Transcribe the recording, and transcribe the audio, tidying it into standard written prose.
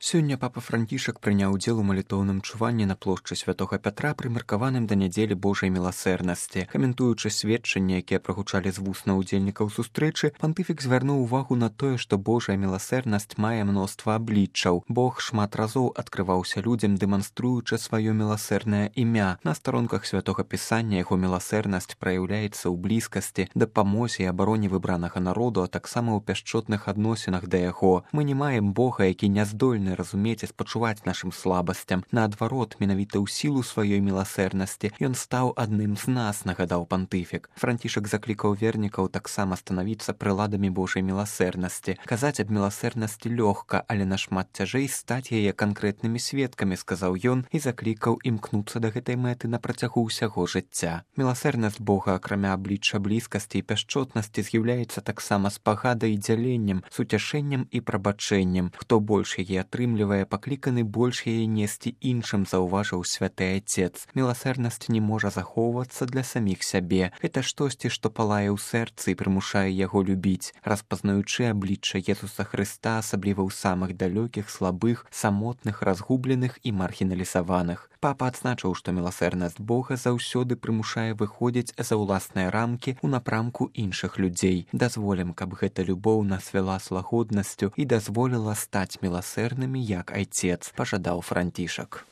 Сёння папа Францішак прыняў удзел у малітоўным чуванні на плошчы святога Пятра, прымеркаваным да нядзелі Божай міласэрнасці. Каментуючы сведчанні, якія прагучалі з вусна ўдзельнікаў сустрэчы, пантыфік звярнуў увагу на тое, што Божая міласэрнасць мае мноства абліччаў. Бог шмат разоў адкрываўся людзям, дэманструючы сваё міласэрнае імя. На старонках святога пісання яго міласэрнасць праяўляецца ў блізкасці, дапамозе і абароне выбранага народу, а таксама ў пяшчотных адносінах да яго. Мы не маем Бога, які не здольны разумець і спачуваць нашым слабасцям. Наадварот, менавіта ў сілу сваёй міласэрнасці ён стаў адным з нас, нагадаў пантыфік. Францішак заклікаў вернікаў таксама станавіцца прыладамі Божай міласэрнасці. Казаць аб міласэрнасці лёгка, але нашмат цяжэй стаць яе канкрэтнымі сведкамі, сказаў ён і заклікаў імкнуцца да гэтай мэты на працягу ўсяго жыцця. Міласэрнасць Бога, акрамя аблічча блізкасці і пяшчотнасці, з'яўляецца таксама спагадай і дзяленнем, суцяшэннем і прабачэннем. Хто больш яе атрымлівае, пакліканы больш яе несці іншым, заўважыў святы Айцец. Міласэрнасць не можа захоўвацца для саміх сябе. Гэта штосьці, што палае ў сэрцы і прымушае яго любіць, распазнаючы аблічча Езуса Хрыста, асабліва ў самых далёкіх, слабых, самотных, разгубленых і маргіналізаваных. Папа адзначыў, што міласэрнасць Бога заўсёды прымушае выходзіць за ўласныя рамкі ў напрамку іншых людзей. Дазволім, каб гэта любоў нас вяла з лагоднасцю і дазволіла стаць міласэрнымі, як Айцец, пажадаў Францішак.